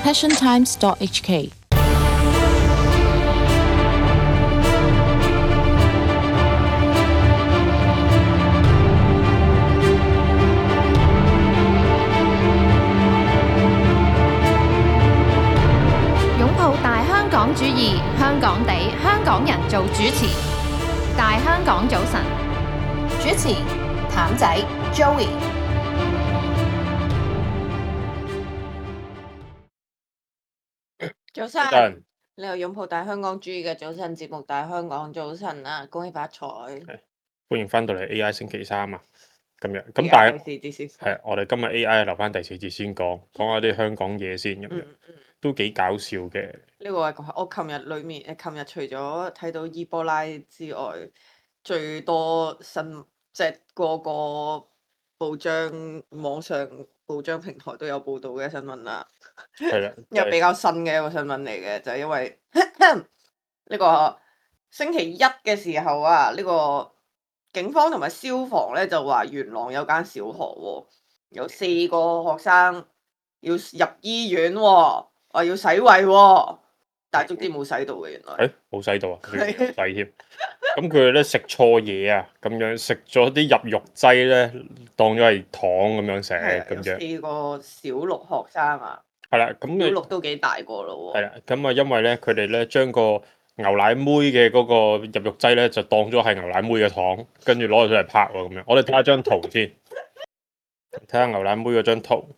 passiontimes.hk。擁抱大香港主義，香港地，香港人做主持。大香港早晨，主持譚仔 Joey。早早晨晨，你又擁抱大香港主義嘅早晨節目，大香港早晨啊！恭喜發財！歡迎翻到嚟 AI 星期三啊！今日咁，而家但係第四節先係我哋今日 AI 留翻第四節先講下啲香港嘢先咁樣，都幾搞笑嘅。呢個係我琴日裏面琴日除咗睇到伊波拉之外，最多即係個個報章、網上報章平台都有報導嘅新聞啦。係啦，因為比較新嘅一個新聞嚟嘅，就係因為呢個星期一嘅時候啊，呢個警方同埋消防咧就話元朗有間小學喎，有4個學生要入醫院喎，話要洗胃喎，但係總之冇洗到嘅原來。冇洗到啊，冇洗添。咁佢哋咧食錯嘢啊，咁樣食咗啲入肉劑咧，當咗係糖咁樣食咁樣。有4個小6學生啊。係啦，咁小6都幾大個咯喎。係啦，咁啊，因為咧佢哋咧將個牛奶妹嘅嗰個入肉劑咧就當咗係牛奶妹嘅糖，跟住攞咗出嚟拍喎咁樣。我哋睇下張圖先，睇下牛奶妹嗰張圖。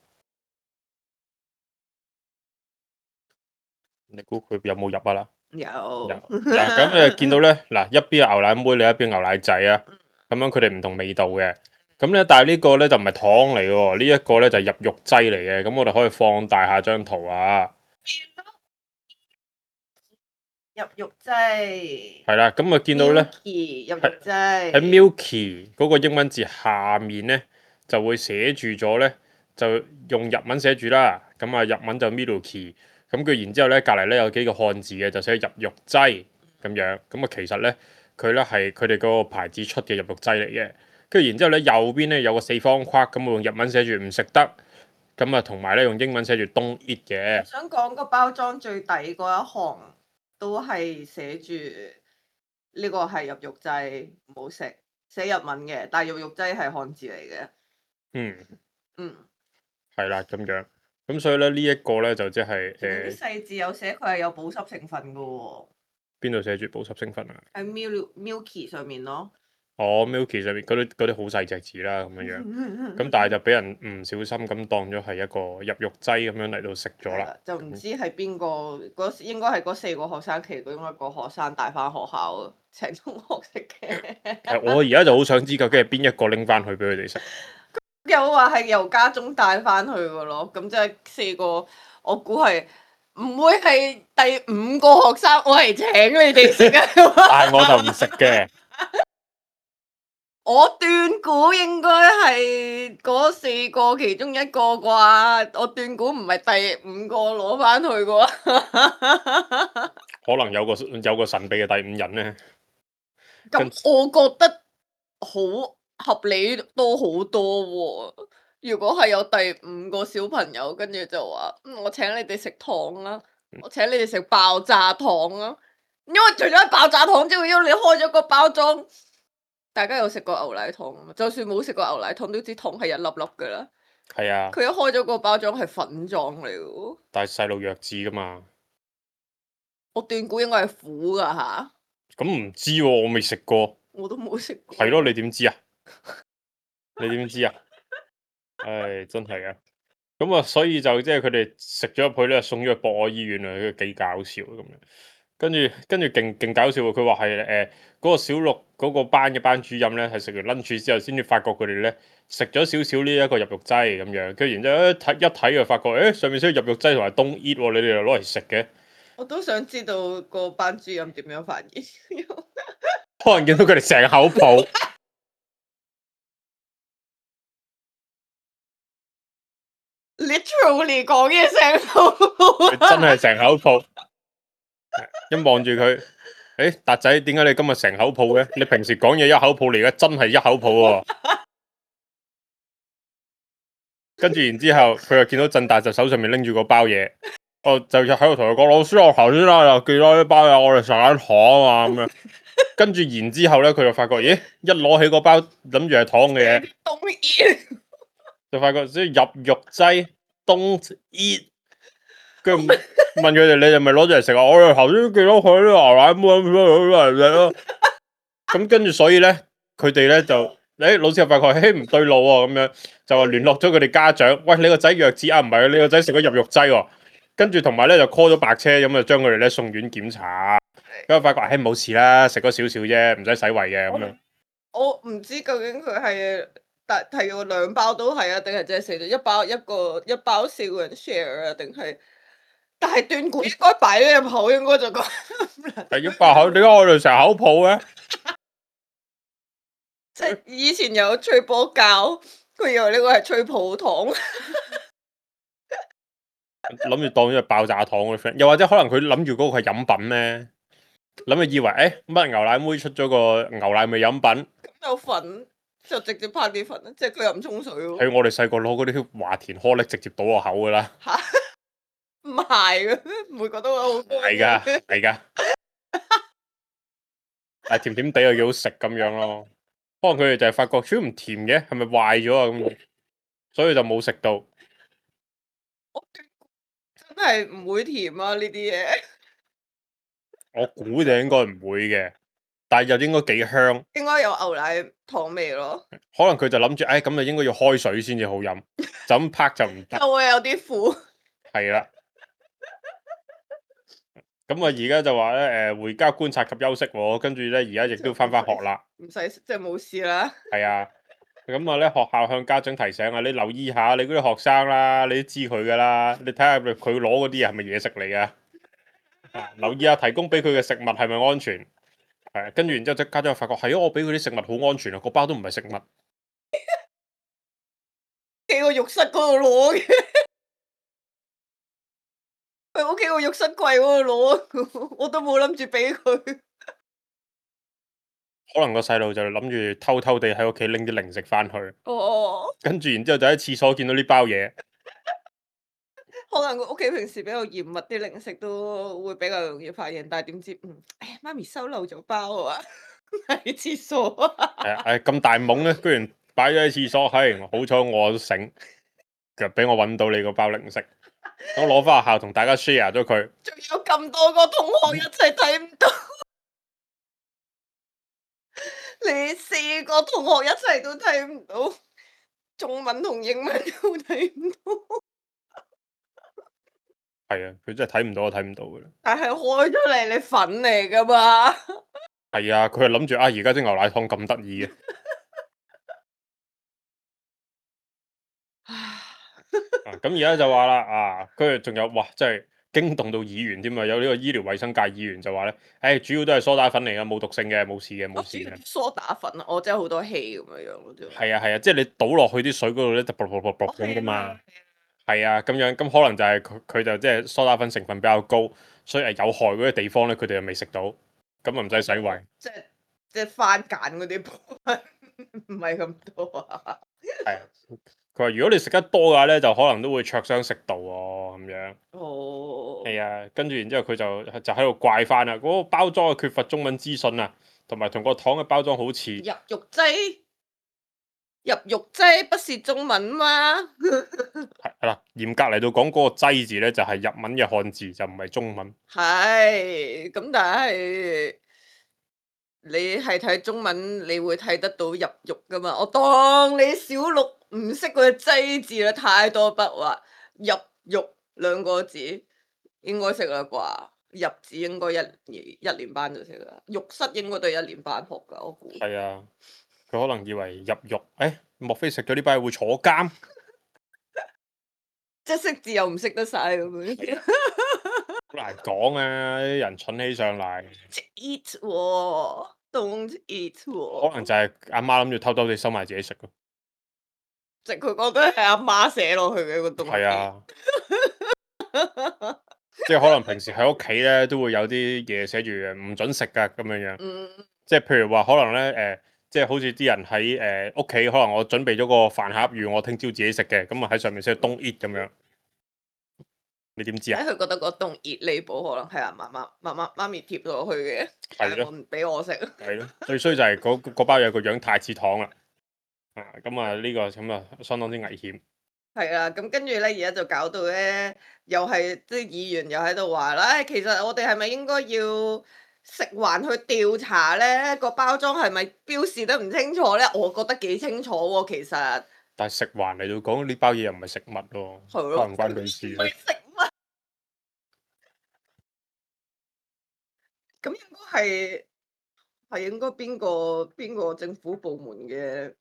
你估佢有冇入啊啦？有。嗱，咁你見到咧，嗱，一邊係牛奶妹，另一邊牛奶仔啊，咁樣佢哋唔同味道嘅。咁咧，但係呢個咧就唔係糖嚟嘅喎，呢一個咧就係入肉劑嚟嘅。咁我哋可以放大下張圖啊。入肉劑。係啦，咁啊見到咧， Milky 入肉劑。喺 Milky 嗰個英文字下面咧就會寫住咗咧，就用日文寫住啦。咁啊日文就 Milky，咁佢然之後咧隔離咧有幾個漢字嘅，就寫入肉劑咁樣。咁啊其實咧佢咧係佢哋嗰個牌子出嘅入肉劑嚟嘅。跟住然之後咧右邊咧有個四方框，咁我用日文寫住唔食得，咁啊同埋咧用英文寫住 Don't eat 嘅。想講個包裝最底嗰一行都係寫住呢個係入肉劑，唔好食，寫日文嘅，但係入肉劑係漢字嚟嘅。嗯，係啦咁樣，咁所以咧呢一個咧就即係啲細字有寫佢係有保濕成分噶喎。邊度寫住保濕成分啊？喺 Milky 上面咯。哦，Milky 上面嗰啲好細隻字啦，咁樣樣，咁但係就俾人唔小心咁當咗係一個入肉劑咁樣嚟到食咗啦。就唔知係邊個，應該係嗰4個學生其中一個學生帶翻學校請同學食嘅。我而家就好想知究竟係邊一個拎翻去俾佢哋食。有話係由家中帶翻去嘅咯，咁即係4個，我估係唔會係第5個學生，我係請你哋食嘅。但係我就唔食嘅。我斷估應該係嗰4個其中一個啩，我斷估唔係第5個攞翻去啩。可能有個神秘嘅第5人呢。咁我覺得好合理多好多喎。如果係有第5個小朋友，跟住就話我請你哋食糖啦，我請你哋食爆炸糖啦。因為除咗係爆炸糖之外，因為你開咗個包裝，大家有食過牛奶糖嘛？就算冇食過牛奶糖，都知糖係一粒粒噶啦。係啊。佢一開咗個包裝係粉狀嚟嘅。但係細路弱智噶嘛。我斷估應該係苦噶吓。咁唔知喎，我未食過。我都冇食過。係咯，你點知啊？你點知啊？唉，真係啊！咁啊，所以就即係佢哋食咗入去咧，送咗去博愛醫院啊，幾搞笑咁樣。跟住勁搞笑喎！佢話係嗰個小6嗰個班嘅班主任咧，係食完 lunch 之後先至發覺佢哋咧食咗少少呢一個入肉劑咁樣。跟住然之後一睇就發覺，上面寫入肉劑同埋 don't eat 喎，你哋又攞嚟食嘅。我都想知道個班主任點樣發現。可能見到佢哋成口泡。Literally 講嘢成口泡。真係成口泡。一望住佢，達仔，點解你今日成口泡嘅？你平時講嘢一口泡嚟嘅，真係一口泡喎。跟住然之後，佢又見到振達就手上面拎住個包嘢。我就喺度同佢講，老師我頭先啦又寄咗啲包嘢，我哋食緊糖啊咁樣。跟住然之後咧，佢就發覺，咦，一攞起個包諗住係糖嘅嘢，Don't eat 就發覺即係入肉劑 don't eat。跟住問佢哋，你哋咪攞住嚟食啊？我哋頭先寄咗佢啲牛奶妹嚟食咯。咁跟住所以咧，佢哋咧就老師就發覺，唔對路喎，咁樣就話聯絡咗佢哋家長，喂，你個仔弱智啊？唔係，你個仔食咗入肉劑喎。跟住同埋咧就 call 咗白車，咁就將佢哋咧送院檢查。咁啊發覺，冇事啦，食咗少少啫，唔使洗胃嘅咁樣。我唔知究竟佢係提個2包都係啊，定係淨係食咗一包4個人 share 啊，定係？但係斷估應該擺咗入口，應該就講係一包口，點解我哋成日口泡嘅？即係以前有吹波膠，佢以為呢個係吹泡糖。諗住當咗係爆炸糖嗰啲 friend，又或者可能佢諗住嗰個係飲品咧，諗住以為乜牛奶妹出咗個牛奶味飲品，咁有粉就直接拍啲粉，即係佢又唔沖水喎。係我哋細個攞嗰啲華田顆粒直接倒落口噶啦。嚇，唔係嘅，唔會覺得好係㗎，係㗎。但係甜甜地又幾好食咁樣咯。可能佢哋就係發覺，超唔甜嘅，係咪壞咗啊？咁，所以就冇食到。真係唔會甜啊！呢啲嘢我估就應該唔會嘅，但係又應該幾香。應該有牛奶糖味咯，可能佢就諗住，咁就應該要開水先至好飲，就咁拍就唔得。就會有啲苦。係啦。咁啊，而家就話咧，回家觀察及休息喎，跟住咧，而家亦都翻學啦。唔使即係冇事啦。係啊，咁啊咧，學校向家長提醒啊，你留意下你嗰啲學生啦，你都知佢噶啦，你睇下佢攞嗰啲嘢係咪嘢食嚟噶？留意下提供俾佢嘅食物係咪安全？係，跟住然之後即家長發覺係啊，我俾佢啲食物好安全啊，個包都唔係食物。喺個浴室嗰度攞嘅，去屋企個浴室櫃嗰度攞，我都冇諗住俾佢。可能個細路就諗住偷偷地喺屋企拎啲零食翻去，哦，跟住然之後就喺廁所見到呢包嘢。可能佢屋企平時比較嚴密，啲零食都會比較容易發現，但係點知媽咪收漏咗包啊，喺廁所啊。咁大懵咧，居然擺咗喺廁所，好彩我都醒，就俾我揾到你個包零食，我攞翻學校同大家 share 咗佢。仲有咁多個同學一齊睇唔到，你4個同學一齊都睇唔到，中文同英文都睇唔到。係啊，佢真係睇唔到就睇唔到嘅啦。但係開咗嚟，你粉嚟噶嘛？係啊，佢係諗住而家啲牛奶糖咁得意嘅。咁而家就話啦，跟住仲有哇，真係驚動到議員添啊！有呢個醫療衛生界議員就話咧，主要都係梳打粉嚟噶，冇毒性嘅，冇事嘅，冇事嘅。梳打粉啊，我真係好多氣咁樣樣啫。係啊，即係你倒落去啲水嗰度咧，就啵啵啵啵咁噶嘛。係啊，咁樣咁可能就係佢就即係梳打粉成分比較高，所以有害嗰啲地方咧，佢哋又未食到，咁啊唔使洗胃。即係番梘嗰啲部分唔係咁多啊。係啊，佢話如果你食得多嘅話咧，就可能都會灼傷食道喎，咁樣。哦。係啊，跟住然之後佢就喺度怪翻啦，嗰個包裝係缺乏中文資訊啊，同埋同個糖嘅包裝好似。入肉劑不是中文嗎？係啦，嚴格嚟到講，嗰個劑字咧就係日文嘅漢字，就唔係中文。係，咁但係你係睇中文，你會睇得到入肉噶嘛？我當你小六唔識嗰個劑字啦，太多筆畫，入肉2個字應該識啦啩？入字應該一年班就識啦，浴室應該都係1年班學噶，我估。係啊，佢可能以為入肉，莫非食咗呢包會坐監？即係識字又唔識得晒咁樣。好難講啊！啲人蠢起上嚟。eat 喎，don't eat 喎。可能就係阿媽諗住偷偷地收埋自己食咯。即係佢覺得係阿媽寫落去嘅個東西。係啊，即係可能平時喺屋企咧都會有啲嘢寫住唔準食噶咁樣樣。即係譬如話可能咧即係好似啲人喺屋企，可能我準備咗個飯盒預我聽朝自己食嘅，咁啊喺上面寫 don't eat 咁樣。你點知啊？佢覺得嗰棟熱利寶可能係阿媽咪貼落去嘅，但係我唔俾我食。係咯，最衰就係嗰包嘢個樣太似糖啦。咁啊呢個咁啊相當之危險。係啊，咁跟住咧，而家就搞到咧，又係即係議員又喺度話啦，其實我哋係咪應該要食環去調查咧？個包裝係咪標示得唔清楚咧？我覺得幾清楚喎，其實。但係食環嚟到講呢包嘢又唔係食物咯，係咯，關唔關佢事唔係食物。咁應該係應該邊個政府部門嘅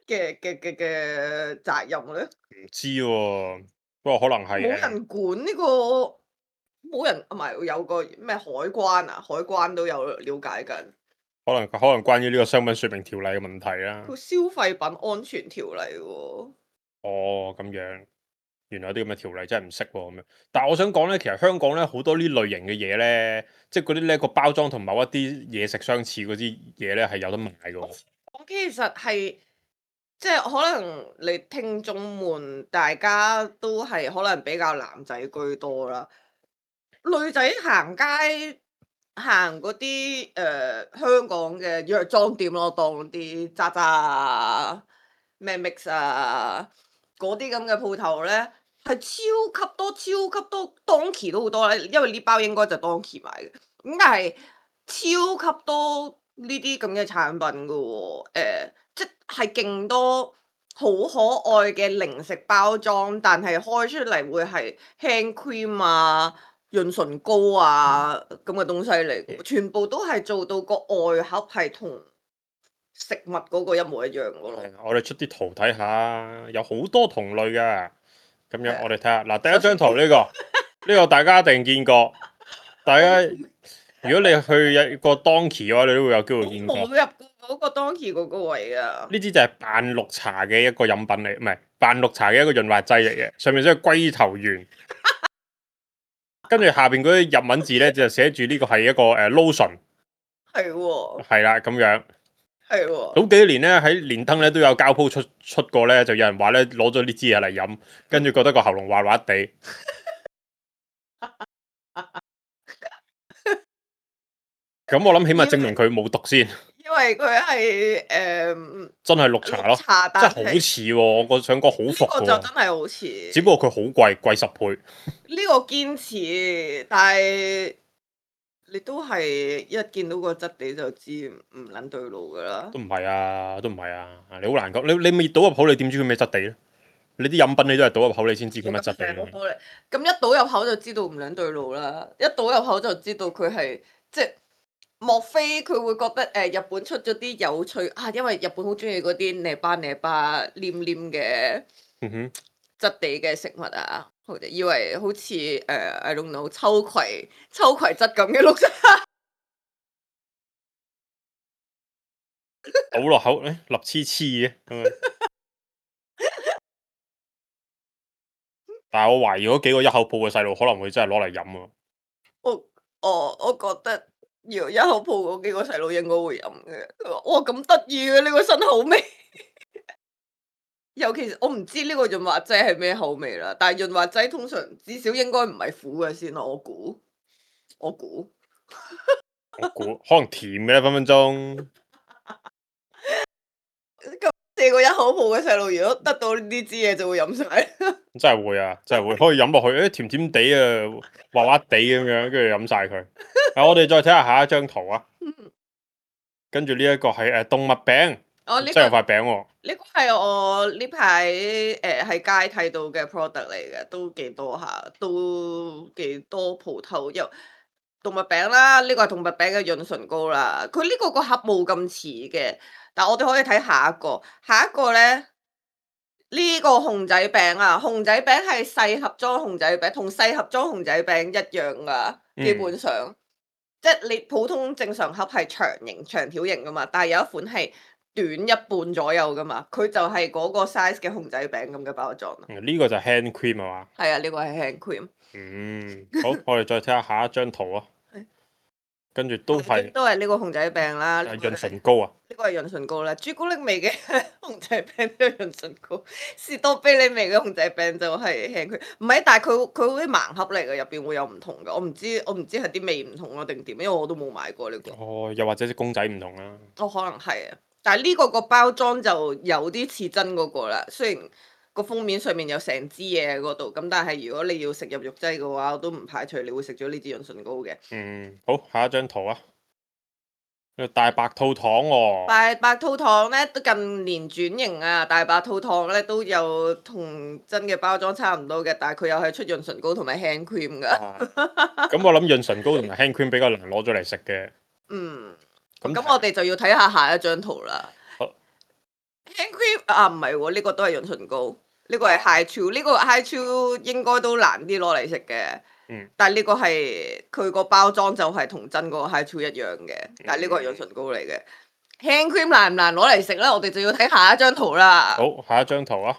責任咧？唔知喎，不過可能係冇人管呢個，冇人唔係有個咩海關啊？海關都有了解緊。可能關於呢個商品說明條例嘅問題啦。個消費品安全條例喎。哦，咁樣，原來有啲咁嘅條例真係唔識喎咁樣。但係我想講咧，其實香港咧好多呢類型嘅嘢咧，即係嗰啲咧個包裝同某一啲嘢食相似嗰啲嘢咧係有得賣嘅喎。我其實係即係可能你聽眾們大家都係可能比較男仔居多啦，女仔行街行嗰啲香港嘅藥妝店咯，當啲渣渣啊、咩 mix 啊嗰啲咁嘅鋪頭咧，係超級多、超級多，Donkey 都好多咧，因為呢包應該就 Donkey 買嘅，咁但係超級多呢啲咁嘅產品噶喎，即係勁多好可愛嘅零食包裝，但係開出嚟會係 hand cream 啊、潤唇膏啊咁嘅東西嚟嘅，全部都係做到個外盒係同食物嗰個一模一樣嘅咯。我哋出啲圖睇下，有好多同類㗎。咁樣我哋睇下嗱，第一張圖呢個大家一定見過。大家如果你去一個 Donkey 嘅話，你都會有機會見過。冇入過嗰個 Donkey 嗰個位啊！呢支就係扮綠茶嘅一個飲品嚟，唔係扮綠茶嘅一個潤滑劑嚟嘅，上面寫龜頭圓，跟住下邊嗰啲日文字咧就寫住呢個係一個lotion，係喎，係啦咁樣。係喎。早幾年咧喺連登咧都有交鋪出過咧，就有人話咧攞咗呢支嘢嚟飲，跟住覺得個喉嚨滑滑地。咁我諗起碼證明佢冇毒先。因為佢係真係綠茶咯，茶真係好似喎，我想講好服呢個就真係好似，只不過佢好貴，貴10倍。呢個堅持，但係你都係一見到個質地就知唔撚對路噶啦。都唔係啊，都唔係啊，你好難講。你未倒入口，你點知佢咩質地咧？你啲飲品你都係倒入口，你先知佢乜質地咯。咁一倒入口就知道唔撚對路啦，一倒入口就知道佢係即係。莫非佢會覺得日本出咗啲有趣啊？因為日本好中意嗰啲呢巴黏黏嘅質地嘅食物啊，以為好似I don't know 秋葵質咁嘅綠茶，倒落口立黐黐嘅咁樣。但係我懷疑嗰幾個一口鋪嘅細路可能會真係攞嚟飲啊。我覺得。如一口鋪嗰幾個細路應該會飲嘅，哇咁得意嘅呢個新口味，尤其是我唔知呢個潤滑劑係咩口味啦，但係潤滑劑通常至少應該唔係苦嘅先咯，我估可能甜嘅咧，分分鐘。咁4個一口鋪嘅細路，如果得到呢支嘢就會飲晒。真係會啊，真係會可以飲落去，甜甜地啊，滑滑地咁樣，跟住飲晒佢。我哋再睇下下一張圖啊。跟住呢一個係動物餅，真係有塊餅喎。呢個係我呢排喺街睇到嘅 product 嚟嘅，都幾多下，都幾多鋪頭有動物餅啦。呢個係動物餅嘅潤唇膏啦。佢呢個個盒冇咁似嘅，但係我哋可以睇下一個。下一個咧，呢個熊仔餅啊，熊仔餅係細盒裝熊仔餅，同細盒裝熊仔餅一樣噶，基本上。即係你普通正常盒係長條形噶嘛，但係有一款係短一半左右噶嘛，佢就係嗰個 size 嘅熊仔餅咁嘅包裝。呢個就係 hand cream 啊嘛。係啊，呢個係 hand cream。好，我哋再睇下下一張圖啊。跟住都係都係呢個熊仔餅啦，呢個潤唇膏啊，呢個係潤唇膏啦，朱古力味嘅熊仔餅都係潤唇膏，士多啤梨味嘅熊仔餅就係輕佢，唔係，但係佢好似盲盒嚟嘅，入邊會有唔同嘅，我唔知係啲味唔同啊定點，因為我都冇買過呢個。哦，又或者啲公仔唔同啦。哦，可能係啊，但係呢個個包裝就有啲似真嗰個啦，雖然個封面上面有成支嘢喺嗰度，咁但係如果你要食入肉劑嘅話，我都唔排除你會食咗呢支潤唇膏嘅。好，下一張圖啊，大白兔糖喎。大白兔糖咧都近年轉型啊，大白兔糖咧都有同真嘅包裝差唔多嘅，但係佢又係出潤唇膏同埋 hand cream 噶。咁我諗潤唇膏同埋 hand cream 比較難攞咗嚟食嘅。咁我哋就要睇下下一張圖啦。好 hand cream 啊，唔係喎，呢個都係潤唇膏，呢個係 high chew，呢個 high chew 應該都難啲攞嚟食嘅。但係呢個係佢個包裝就係同真嗰個 high chew 一樣嘅，但係呢個係潤唇膏嚟嘅。hand cream 難唔難攞嚟食咧？我哋就要睇下一張圖啦。好，下一張圖啊，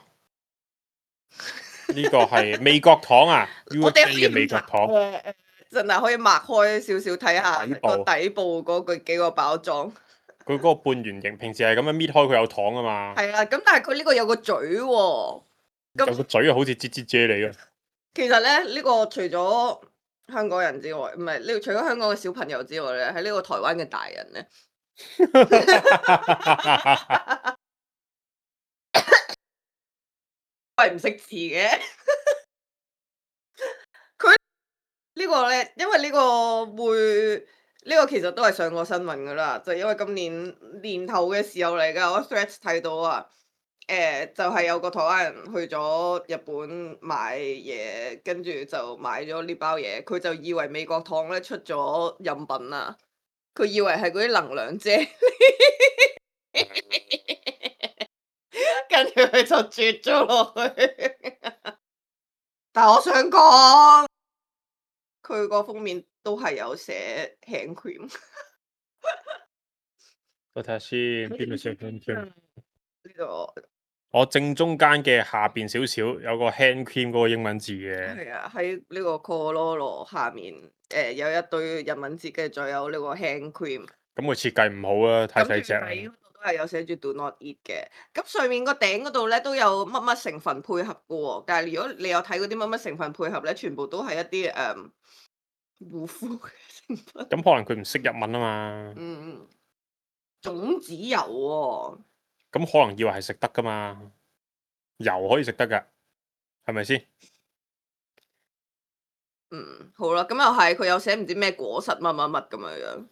呢個係美國糖啊，USA 嘅美國糖。真係可以擘開少少睇下個底部嗰個幾個包裝。佢嗰個半圓形，平時係咁樣搣開佢有糖啊嘛。係啊，咁但係佢呢個有個嘴喎。有個嘴啊，好似擠擠啫喱嘅。其實咧，呢個除咗香港人之外，唔係呢個除咗香港嘅小朋友之外咧，喺呢個台灣嘅大人咧，係唔識字嘅。佢呢個咧，因為呢個會呢個其實都係上過新聞噶啦，就因為今年年頭嘅時候嚟噶，我 Threads 睇到啊。就係有個台灣人去咗日本買嘢，跟住就買咗呢包嘢，佢就以為美國糖咧出咗飲品啊，佢以為係嗰啲能量啫，跟住佢就啜咗落去。但係我想講，佢個封面都係有寫 hand cream。我睇下先，邊度寫 hand cream？呢個。我正中間嘅下邊少少有個 hand cream 嗰個英文字嘅。係啊，喺呢個 Cololo 下面，有一堆日文字，跟住再有呢個 hand cream。咁佢設計唔好啊，太細隻。喺嗰度都係有寫住 Do not eat 嘅。咁上面個頂嗰度咧都有乜乜成分配合嘅喎，但係如果你有睇嗰啲乜乜成分配合咧，全部都係一啲護膚嘅成分。咁可能佢唔識日文啊嘛。種子油喎。咁可能以為係食得噶嘛，油可以食得噶，係咪先？好啦，咁又係，佢有寫唔知咩果實乜乜乜咁樣樣。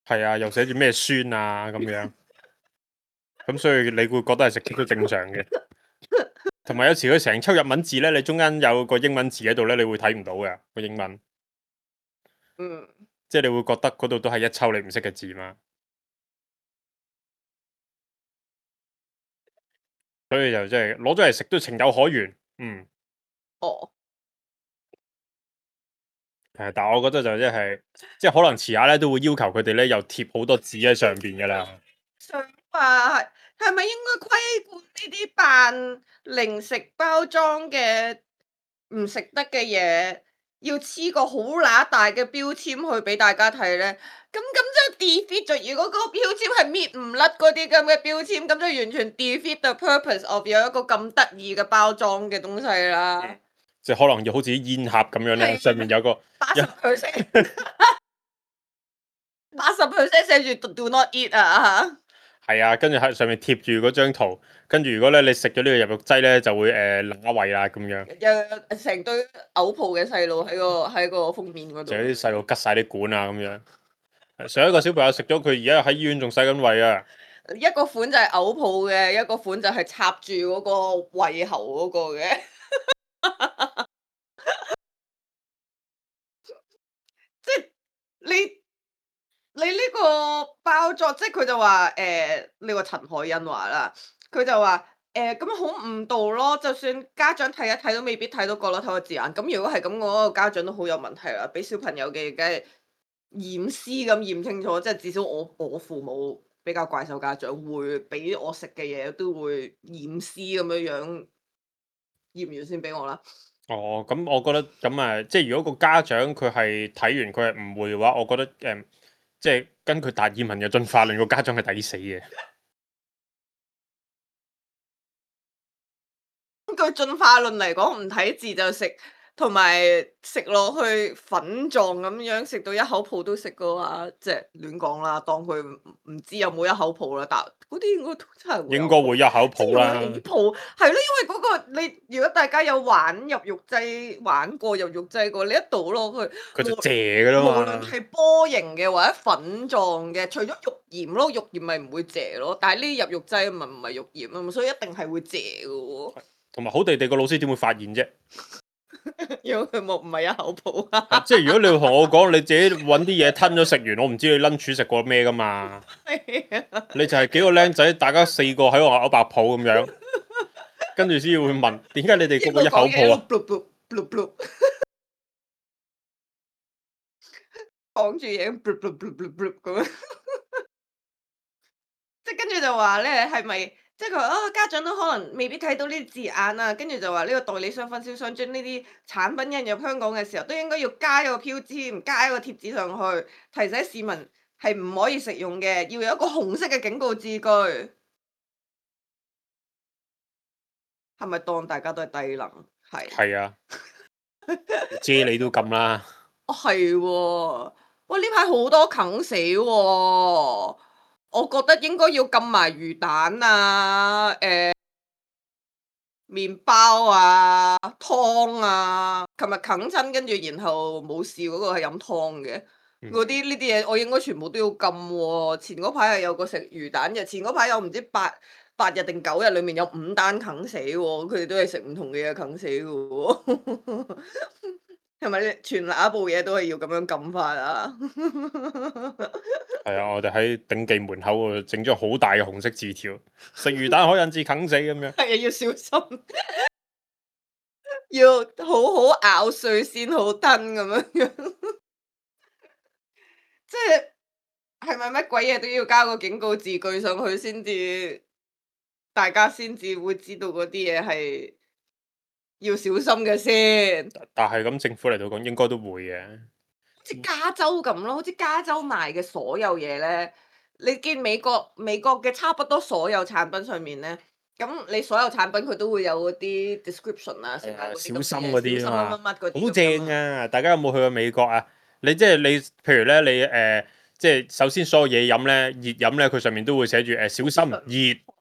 係啊，又寫住咩酸啊咁樣，咁所以你會覺得係食極都正常嘅。同埋有時佢成抽日文字咧，你中間有個英文字喺度咧，你會睇唔到嘅個英文。即係你會覺得嗰度都係一抽你唔識嘅字嘛。所以就真係攞咗嚟食都情有可原。但係我覺得就即係可能遲下咧都會要求佢哋咧又貼好多字喺上邊噶啦。想話係咪應該規管呢啲扮零食包裝嘅唔食得嘅嘢，要黐個好乸大嘅標籤去俾大家睇咧？咁就 defeat 咗。如果嗰個標籤係搣唔甩嗰啲咁嘅標籤，咁就完全 defeat the purpose of 有一個咁得意嘅包裝嘅東西啦。即係可能要好似啲煙盒咁樣咧，上面有個80%，寫住 Do not eat 啊！係啊，跟住喺上面貼住嗰張圖，跟住如果咧你食咗呢個入肉劑咧，就會乸胃啦咁樣。有成堆嘔泡嘅細路喺個封面嗰度。就有啲細路吉晒啲管啊咁樣。上一個小朋友食咗，佢而家喺醫院仲洗緊胃啊。一個款就係嘔泡嘅，一個款就係插住嗰個胃喉嗰個嘅。即係你呢個包裝，即係佢就話呢個陳海欣話啦，佢就話咁好誤導咯，就算家長睇一睇都未必睇到角落頭嘅字眼。咁如果係咁，我個家長都好有問題啦，俾小朋友嘅梗係驗屍咁驗清楚，即係至少我父母比較怪獸家長，會俾我食嘅嘢都會驗屍咁樣驗完先俾我啦。哦，咁我覺得咁即係如果個家長佢係睇完佢係誤會嘅話，我覺得即係根據達爾文嘅進化論，個家長係抵死嘅。根據進化論嚟講，唔睇字就食，同埋食落去粉狀咁樣食到一口泡都食嘅話，即係亂講啦，當佢唔知有冇一口泡啦，但嗰啲應該都真係應該會一口泡啦。起泡係咯，因為嗰個你如果大家有玩入肉劑玩過入肉劑過，你一倒落去，佢就謝噶啦無論嘛。係波形嘅或者粉狀嘅，除咗肉鹽咯，肉鹽咪唔會謝咯，但係呢啲入肉劑咪唔係肉鹽啊嘛，所以一定係會謝嘅喎。同埋好地地個老師點會發現啫？因為佢冇唔係一口泡啊！即係如果你同我講你自己揾啲嘢吞咗食完，我唔知你 lunch 食過咩噶嘛？你就係幾個僆仔，大家4個喺度咬白泡咁樣，跟住先會問點解你哋個個一口泡啊？講住嘢咁樣，即係跟住就話咧係咪？即係佢話啊，家長都可能未必睇到呢啲字眼啊，跟住就話呢個代理商、分銷商將呢啲產品引入香港嘅時候，都應該要加一個標籤，加一個貼紙上去，提醒市民係唔可以食用嘅，要有一個紅色嘅警告字句。係咪當大家都係低能？係啊，啫喱都禁啦。哦，係喎，哇！呢排好多啃死喎，我覺得應該要禁埋魚蛋啊、麵包啊、湯啊。琴日啃親，跟住然後冇事嗰個係飲湯嘅，嗰啲呢啲嘢我應該全部都要禁喎。前嗰排係有個食魚蛋嘅，前嗰排有唔知八日定9日，裡面有5單啃死喎，佢哋都係食唔同嘅嘢啃死嘅喎。係咪全那部嘢都係要咁樣撳法啊？係啊，我哋喺頂記門口度整咗好大嘅紅色字條，食魚蛋可引致啃死咁樣。係啊，要小心，要好好咬碎先好吞咁樣樣。即係咪乜鬼嘢都要加個警告字句上去先至，大家先至會知道嗰啲嘢係要小心嘅先。但係咁政府嚟到講應該都會嘅。好似加州咁咯，好似加州賣嘅所有嘢咧，你見美國嘅差不多所有產品上面咧，咁你所有產品佢都會有嗰啲 description 啊，成啊嗰啲咁嘅嘢小心嗰啲啊嘛，小心乜乜嗰啲好正啊！大家有冇去過美國啊？你即係你，譬如咧你即係首先所有嘢飲咧，熱飲咧，佢上面都會寫住小心熱。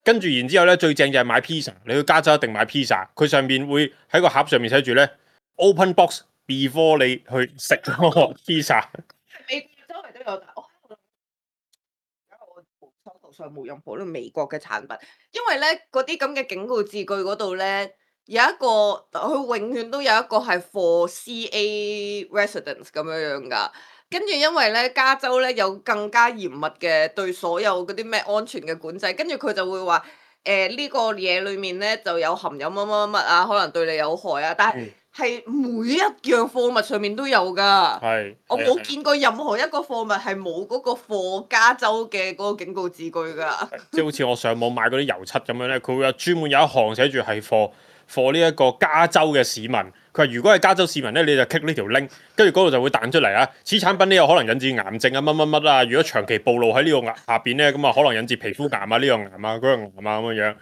跟住然之後咧，最正就係買 pizza，你去加州一定買 pizza，佢上面會喺個盒上面寫住咧 open box before 你去食嗰個 pizza。美國周圍都有，但我而家我手頭上冇任何呢個美國嘅產品，因為咧嗰啲咁嘅警告字句嗰度咧有一個，佢永遠都有一個係 for CA residents 咁樣樣㗎。跟住因為咧加州咧有更加嚴密嘅對所有嗰啲咩安全嘅管制，跟住佢就會話呢個嘢裡面咧就有含有乜乜乜啊，可能對你有害啊，但係每一樣貨物上面都有㗎。係，我冇見過任何一個貨物係冇嗰個貨加州嘅嗰個警告字句㗎。即係好似我上網買嗰啲油漆咁樣咧，佢會有專門有一行寫住係貨呢一個加州嘅市民。佢話如果係加州市民咧，你就 click 呢條 link，跟住嗰度就會彈出嚟啊！此產品呢有可能引致癌症啊乜乜乜啊！如果長期暴露喺呢個下邊咧，咁啊可能引致皮膚癌啊呢個癌啊嗰個癌啊咁樣樣。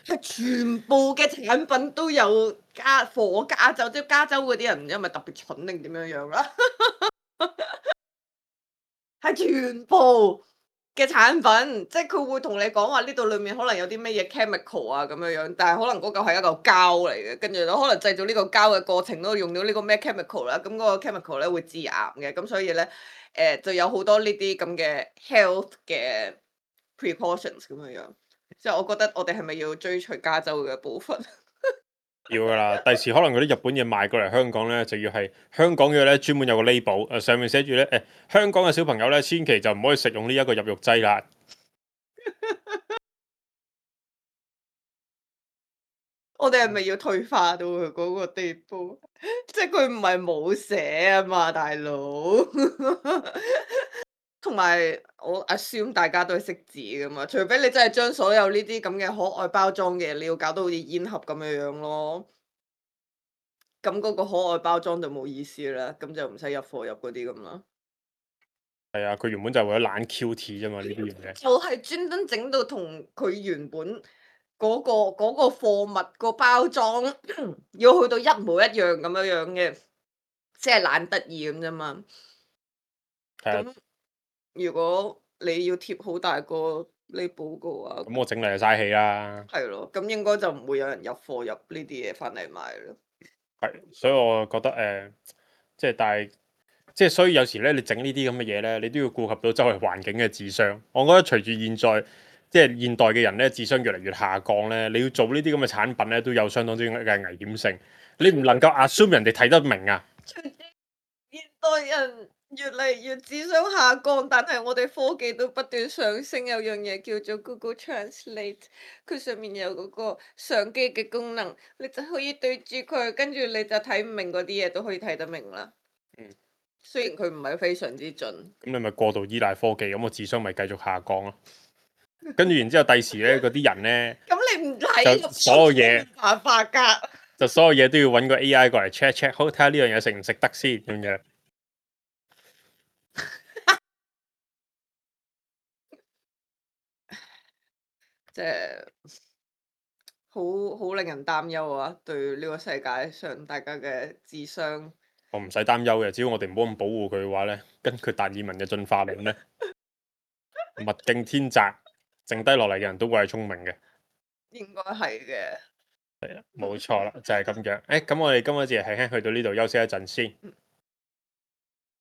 係全部嘅產品都有加州，即係加州嗰啲人唔知係咪特別蠢定點樣樣啦？係全部嘅產品，即係佢會同你講話呢度裡面可能有啲咩嘢 chemical 啊咁樣樣，但係可能嗰嚿係一嚿膠嚟嘅，跟住咧可能製造呢個膠嘅過程都用到呢個咩 chemical 啦，咁嗰個 chemical 咧會致癌嘅，咁所以咧就有好多呢啲咁嘅 health 嘅 precautions 咁樣樣，即係我覺得我哋係咪要追隨加州嘅部分？要噶啦，第時可能嗰啲日本嘢賣過嚟香港咧，就要係香港嘅咧專門有個 label，上面寫住咧香港嘅小朋友咧，千祈就唔可以食用呢一個入肉劑啦。我哋係咪要退化到佢嗰個地步？即係佢唔係冇寫啊嘛，大佬。同埋我 assume 大家都係識字噶嘛，除非你真係將所有呢啲咁嘅可愛包裝嘅，你要搞到好似煙盒咁樣樣咯。咁嗰個可愛包裝就冇意思啦，咁就唔使入貨入嗰啲咁啦。係啊，佢原本就係為咗懶 QT 啫嘛，呢啲嘢。就係專登整到同佢原本嗰個貨物個包裝要去到一模一樣咁樣嘅，即係懶得意咁啫嘛。係啊，咁如果你要貼好大個 label嘅話，咁我整嚟就嘥氣啦。係咯，咁應該就唔會有人入貨入呢啲嘢翻嚟買咯。係，所以我覺得即係但係即係所以有時咧，你整呢啲咁嘅嘢咧，你都要顧及到周圍環境嘅智商。我覺得隨住現在即係現代嘅人咧，智商越嚟越下降咧，你要做呢啲咁嘅產品咧，都有相當之嘅危險性。你唔能夠 assume 人哋睇得明啊。隨住現代人越嚟越智商下降，但係我哋科技都不斷上升。有樣嘢叫做 Google Translate，佢上面有嗰個相機嘅功能，你就可以對住佢，跟住你就睇唔明嗰啲嘢都可以睇得明啦。雖然佢唔係非常之準。咁你咪過度依賴科技，咁個智商咪繼續下降咯。跟住然之後，第時咧嗰啲人咧，咁你唔睇就所有嘢冇辦法㗎。就所有嘢都要揾個 AI 過嚟 check，好睇下呢樣嘢食唔食得先咁樣。即係好令人擔憂啊！對呢個世界上大家嘅智商，我唔使擔憂嘅，只要我哋唔好咁保護佢嘅話咧，根據達爾文嘅進化論咧，物競天擇，剩低落嚟嘅人都會係聰明嘅。應該係嘅。係啦，冇錯啦，就係咁樣。咁我哋今日節輕輕去到呢度休息一陣先。